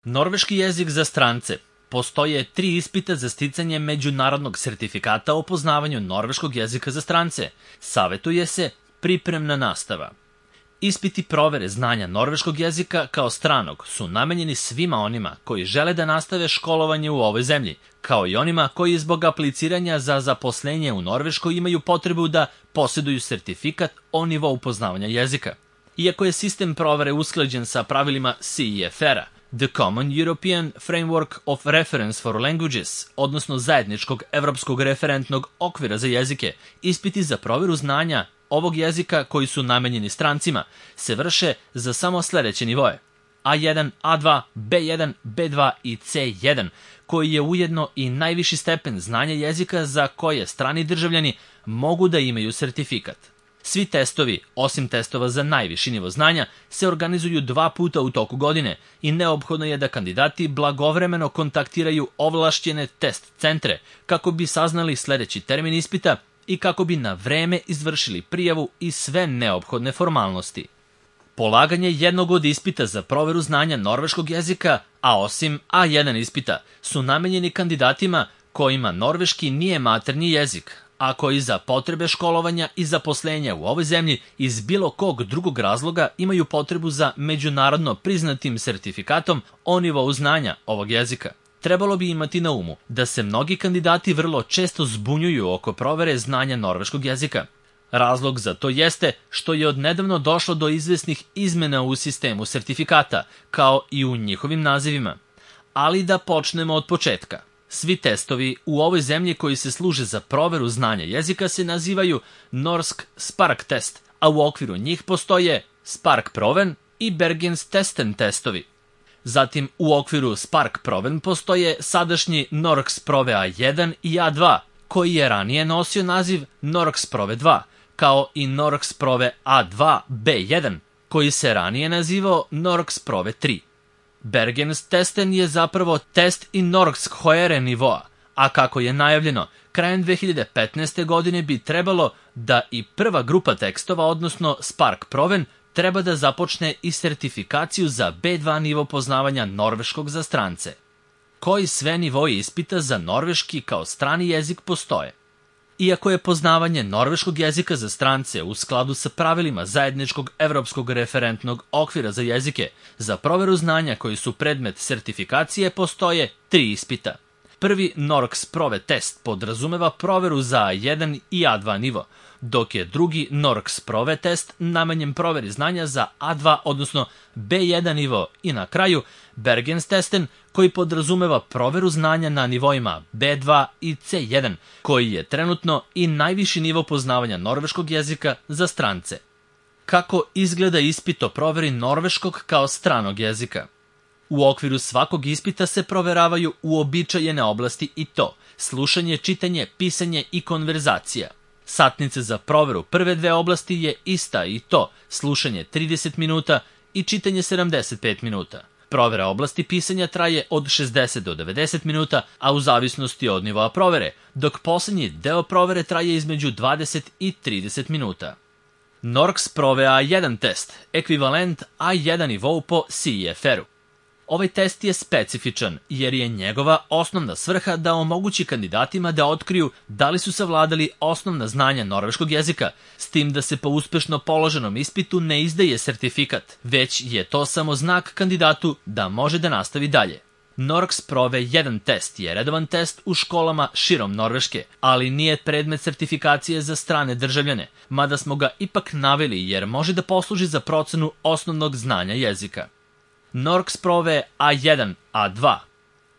Norveški jezik za strance. Postoje 3 ispita za sticanje međunarodnog sertifikata o poznavanju norveškog jezika za strance. Savetuje se pripremna nastava. Ispiti provere znanja norveškog jezika kao stranog su namenjeni svima onima koji žele da nastave školovanje u ovoj zemlji, kao i onima koji zbog apliciranja za zaposlenje u Norveškoj imaju potrebu da posjeduju sertifikat o nivou poznavanja jezika. Iako je sistem provere usklađen sa pravilima CEFR-a, The Common European Framework of Reference for Languages, odnosno zajedničkog evropskog referentnog okvira za jezike, ispiti za proveru znanja ovog jezika koji su namenjeni strancima se vrše za samo sledeće nivoe: A1, A2, B1, B2 i C1, koji je ujedno i najviši stepen znanja jezika za koje strani državljani mogu da imaju sertifikat. Svi testovi, osim testova za najviši nivo znanja, se organizuju 2 puta u toku godine i neophodno je da kandidati blagovremeno kontaktiraju ovlašćene test centre kako bi saznali sledeći termin ispita i kako bi na vreme izvršili prijavu i sve neophodne formalnosti. Polaganje jednog od ispita za proveru znanja norveškog jezika, a osim A1 ispita, su namenjeni kandidatima kojima norveški nije maternji jezik, a koji za potrebe školovanja i zaposlenja u ovoj zemlji iz bilo kog drugog razloga imaju potrebu za međunarodno priznatim sertifikatom o nivou znanja ovog jezika. Trebalo bi imati na umu da se mnogi kandidati vrlo često zbunjuju oko provere znanja norveškog jezika. Razlog za to jeste što je odnedavno došlo do izvesnih izmena u sistemu sertifikata, kao i u njihovim nazivima. Ali da počnemo od početka. Svi testovi u ovoj zemlji koji se služe za proveru znanja jezika se nazivaju Norsk Spark test, a u okviru njih postoje Spark Proven i Bergens Testen testovi. Zatim u okviru Spark Proven postoje sadašnji Norksprove A1 i A2, koji je ranije nosio naziv Norksprove 2, kao i Norksprove A2 B1, koji se ranije nazivao Norksprove 3. Bergens Testen je zapravo test i Norskshøjere nivoa, a kako je najavljeno, krajem 2015. godine bi trebalo da i prva grupa tekstova, odnosno Spark Proven, treba da započne i sertifikaciju za B2 nivo poznavanja norveškog za strance. Koji sve nivoji ispita za norveški kao strani jezik postoje? Iako je poznavanje norveškog jezika za strance u skladu sa pravilima zajedničkog evropskog referentnog okvira za jezike, za proveru znanja koji su predmet sertifikacije postoje 3 ispita. Prvi Norksprove test podrazumeva proveru za A1 i A2 nivo, dok je drugi Norksprove test namenjen proveri znanja za A2, odnosno B1 nivo, i na kraju Bergens Testen, koji podrazumeva proveru znanja na nivoima B2 i C1, koji je trenutno i najviši nivo poznavanja norveškog jezika za strance. Kako izgleda ispit o proveri norveškog kao stranog jezika? U okviru svakog ispita se proveravaju uobičajene oblasti i to: slušanje, čitanje, pisanje i konverzacija. Satnica za proveru prve 2 oblasti je ista i to: slušanje 30 minuta i čitanje 75 minuta. Provera oblasti pisanja traje od 60 do 90 minuta, a u zavisnosti od nivoa provere, dok poslednji deo provere traje između 20 i 30 minuta. Norksprove A1 test, ekvivalent A1 nivou po CEFR-u. Ovaj test je specifičan jer je njegova osnovna svrha da omogući kandidatima da otkriju da li su savladali osnovna znanja norveškog jezika, s tim da se po uspešno položenom ispitu ne izdaje sertifikat, već je to samo znak kandidatu da može da nastavi dalje. Norksprove 1 test je redovan test u školama širom Norveške, ali nije predmet sertifikacije za strane državljane, mada smo ga ipak naveli jer može da posluži za procenu osnovnog znanja jezika. Norksprove A1, A2.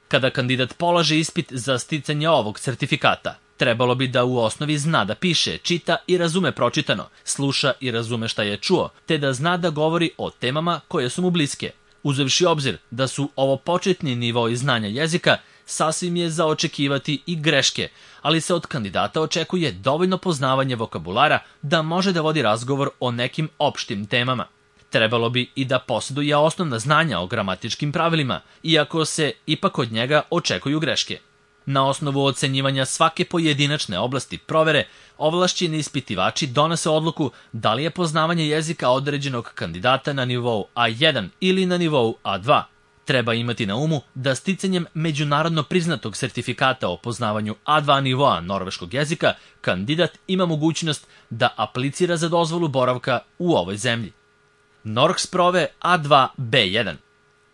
Kada kandidat polaže ispit za sticanje ovog sertifikata, trebalo bi da u osnovi zna da piše, čita i razume pročitano, sluša i razume šta je čuo, te da zna da govori o temama koje su mu bliske. Uzevši obzir da su ovo početni nivoi znanja jezika, sasvim je za očekivati i greške, ali se od kandidata očekuje dovoljno poznavanje vokabulara da može da vodi razgovor o nekim opštim temama. Trebalo bi i da posjeduje osnovna znanja o gramatičkim pravilima, iako se ipak od njega očekuju greške. Na osnovu ocenjivanja svake pojedinačne oblasti provere, ovlašćeni ispitivači donose odluku da li je poznavanje jezika određenog kandidata na nivou A1 ili na nivou A2. Treba imati na umu da sticanjem međunarodno priznatog sertifikata o poznavanju A2 nivoa norveškog jezika, kandidat ima mogućnost da aplicira za dozvolu boravka u ovoj zemlji. Norgesprove A2 B1.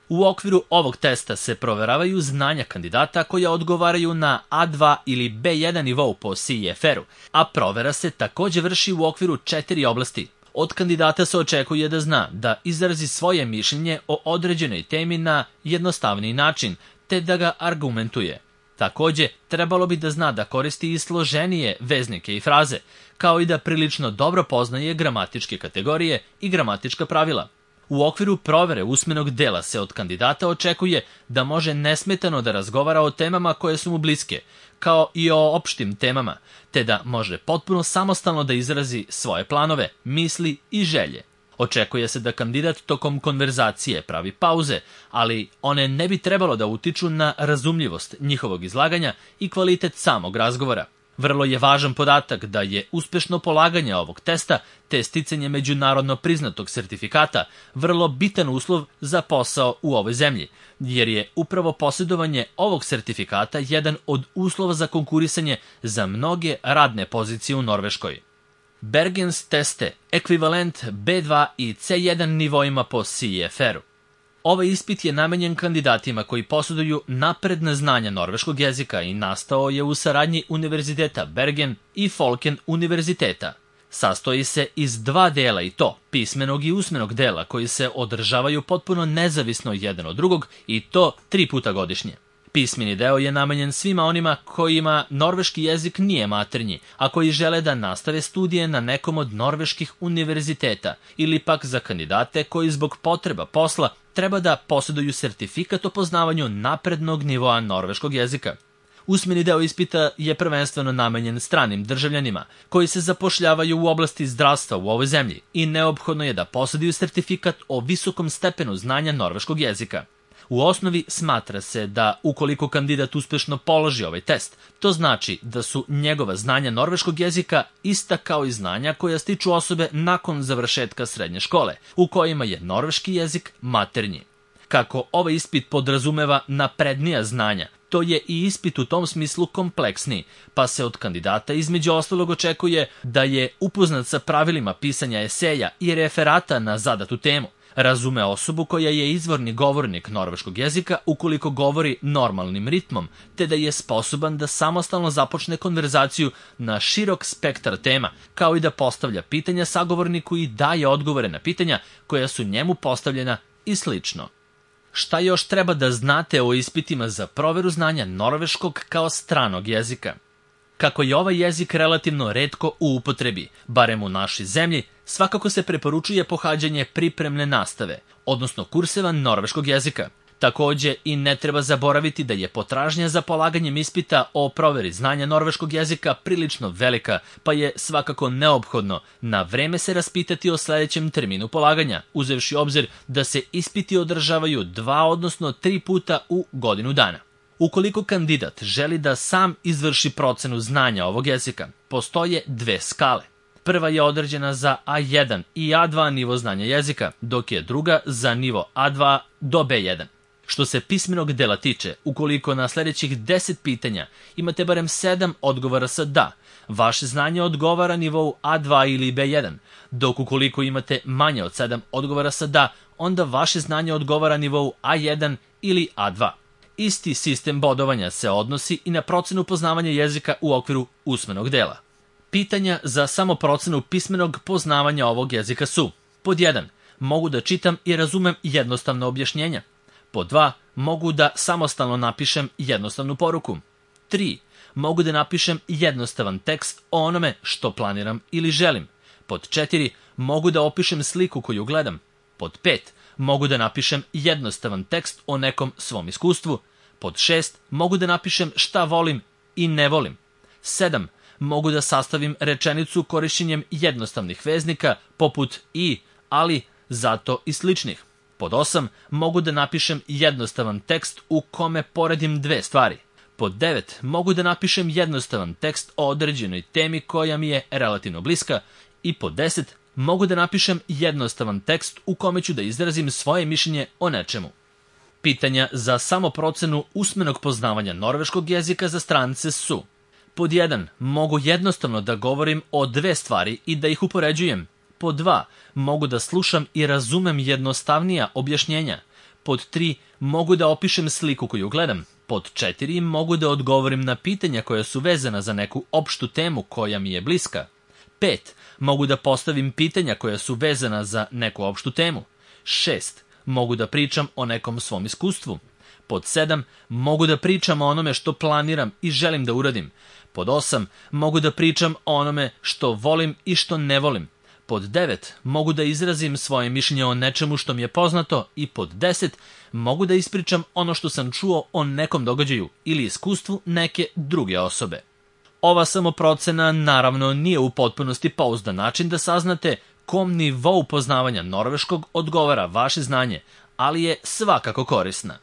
U okviru ovog testa se proveravaju znanja kandidata koja odgovaraju na A2 ili B1 nivou po CEFR-u, a provera se takođe vrši u okviru 4 oblasti. Od kandidata se očekuje da zna da izrazi svoje mišljenje o određenoj temi na jednostavniji način, te da ga argumentuje. Takođe, trebalo bi da zna da koristi i složenije veznike i fraze, kao i da prilično dobro poznaje gramatičke kategorije i gramatička pravila. U okviru provere usmenog dela se od kandidata očekuje da može nesmetano da razgovara o temama koje su mu bliske, kao i o opštim temama, te da može potpuno samostalno da izrazi svoje planove, misli i želje. Očekuje se da kandidat tokom konverzacije pravi pauze, ali one ne bi trebalo da utiču na razumljivost njihovog izlaganja i kvalitet samog razgovora. Vrlo je važan podatak da je uspešno polaganje ovog testa te sticanje međunarodno priznatog sertifikata vrlo bitan uslov za posao u ovoj zemlji, jer je upravo posjedovanje ovog sertifikata jedan od uslova za konkurisanje za mnoge radne pozicije u Norveškoj. Bergens teste, ekvivalent B2 i C1 nivoima po CEFR-u. Ovaj ispit je namenjen kandidatima koji posjeduju napredna znanja norveškog jezika i nastao je u saradnji Univerziteta Bergen i Folken univerziteta. Sastoji se iz 2 dela i to, pismenog i usmenog dela koji se održavaju potpuno nezavisno jedan od drugog i to 3 puta godišnje. Pismeni deo je namenjen svima onima kojima norveški jezik nije maternji, a koji žele da nastave studije na nekom od norveških univerziteta ili pak za kandidate koji zbog potreba posla treba da posjeduju sertifikat o poznavanju naprednog nivoa norveškog jezika. Usmeni deo ispita je prvenstveno namenjen stranim državljanima koji se zapošljavaju u oblasti zdravstva u ovoj zemlji i neophodno je da posjeduju sertifikat o visokom stepenu znanja norveškog jezika. U osnovi smatra se da ukoliko kandidat uspešno položi ovaj test, to znači da su njegova znanja norveškog jezika ista kao i znanja koja stiču osobe nakon završetka srednje škole, u kojima je norveški jezik maternji. Kako ovaj ispit podrazumeva naprednija znanja, to je i ispit u tom smislu kompleksniji, pa se od kandidata između ostalog očekuje da je upoznat sa pravilima pisanja eseja i referata na zadatu temu, razume osobu koja je izvorni govornik norveškog jezika ukoliko govori normalnim ritmom, te da je sposoban da samostalno započne konverzaciju na širok spektar tema, kao i da postavlja pitanja sagovorniku i daje odgovore na pitanja koja su njemu postavljena i slično. Šta još treba da znate o ispitima za proveru znanja norveškog kao stranog jezika? Kako je ovaj jezik relativno retko u upotrebi, barem u našoj zemlji, svakako se preporučuje pohađanje pripremne nastave, odnosno kurseva norveškog jezika. Takođe i ne treba zaboraviti da je potražnja za polaganjem ispita o proveri znanja norveškog jezika prilično velika, pa je svakako neophodno na vreme se raspitati o sledećem terminu polaganja, uzevši obzir da se ispiti održavaju 2 odnosno 3 puta u godinu dana. Ukoliko kandidat želi da sam izvrši procenu znanja ovog jezika, postoje 2 skale. Prva je određena za A1 i A2 nivo znanja jezika, dok je druga za nivo A2 do B1. Što se pismenog dela tiče, ukoliko na sledećih 10 pitanja imate barem 7 odgovora sa da, vaše znanje odgovara nivou A2 ili B1, dok ukoliko imate manje od 7 odgovora sa da, onda vaše znanje odgovara nivou A1 ili A2. Isti sistem bodovanja se odnosi i na procenu poznavanja jezika u okviru usmenog dela. Pitanja za samoprocenu pismenog poznavanja ovog jezika su: pod 1. Mogu da čitam i razumem jednostavna objašnjenja. Pod 2. Mogu da samostalno napišem jednostavnu poruku. 3. Mogu da napišem jednostavan tekst o onome što planiram ili želim. Pod 4. Mogu da opišem sliku koju gledam. Pod 5. Mogu da napišem jednostavan tekst o nekom svom iskustvu. Pod 6. Mogu da napišem šta volim i ne volim. 7. Mogu da sastavim rečenicu korišćenjem jednostavnih veznika poput i, ali, zato i sličnih. Pod 8. Mogu da napišem jednostavan tekst u kome poredim 2 stvari. Pod 9. Mogu da napišem jednostavan tekst o određenoj temi koja mi je relativno bliska. I pod 10. Mogu da napišem jednostavan tekst u kome ću da izrazim svoje mišljenje o nečemu. Pitanja za samoprocenu usmenog poznavanja norveškog jezika za strance su: pod 1. Mogu jednostavno da govorim o 2 stvari i da ih upoređujem. Pod 2. Mogu da slušam i razumem jednostavnija objašnjenja. Pod 3. Mogu da opišem sliku koju gledam. Pod 4. Mogu da odgovorim na pitanja koja su vezana za neku opštu temu koja mi je bliska. 5. Mogu da postavim pitanja koja su vezana za neku opštu temu. 6. Mogu da pričam o nekom svom iskustvu. Pod 7. Mogu da pričam o onome što planiram i želim da uradim. Pod 8. Mogu da pričam o onome što volim i što ne volim. Pod 9. Mogu da izrazim svoje mišljenje o nečemu što mi je poznato. I pod 10. Mogu da ispričam ono što sam čuo o nekom događaju ili iskustvu neke druge osobe. Ova samoprocena naravno nije u potpunosti pouzdan način da saznate kom nivou poznavanja norveškog odgovara vaše znanje, ali je svakako korisna.